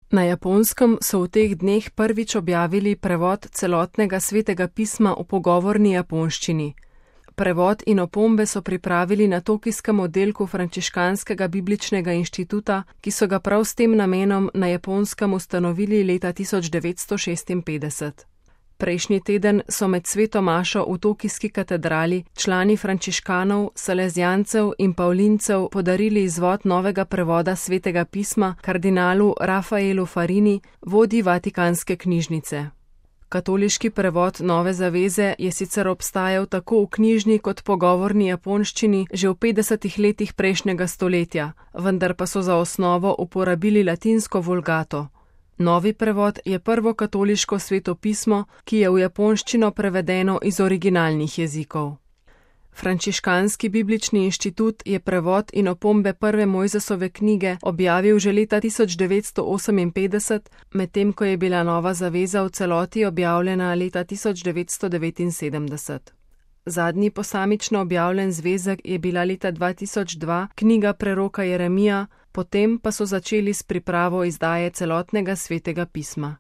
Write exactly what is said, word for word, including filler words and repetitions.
Na Japonskem so v teh dneh prvič objavili prevod celotnega svetega pisma v pogovorni japonščini. Prevod in opombe so pripravili na tokijskem oddelku Frančiškanskega bibličnega inštituta, ki so ga prav s tem namenom na Japonskem ustanovili leta tisoč devetsto šestinpetdeset. Prejšnji teden so med sveto mašo v tokijski katedrali člani frančiškanov, salezijancev in pavlincev podarili izvod novega prevoda svetega pisma kardinalu Rafaelu Farini, vodji Vatikanske knjižnice. Katoliški prevod Nove zaveze je sicer obstajal tako v knjižni kot pogovorni japonščini že v petdesetih letih prejšnjega stoletja, vendar pa so za osnovo uporabili latinsko vulgato. Novi prevod je prvo katoliško sveto pismo, ki je v japonščino prevedeno iz originalnih jezikov. Frančiškanski biblični inštitut je prevod in opombe prve Mojzesove knjige objavil že leta tisoč devetsto oseminpetdeset, medtem ko je bila Nova zaveza v celoti objavljena leta tisoč devetsto devetinsedemdeset. Zadnji posamično objavljen zvezek je bila leta dva tisoč dva knjiga preroka Jeremija, potem pa so začeli s pripravo izdaje celotnega svetega pisma.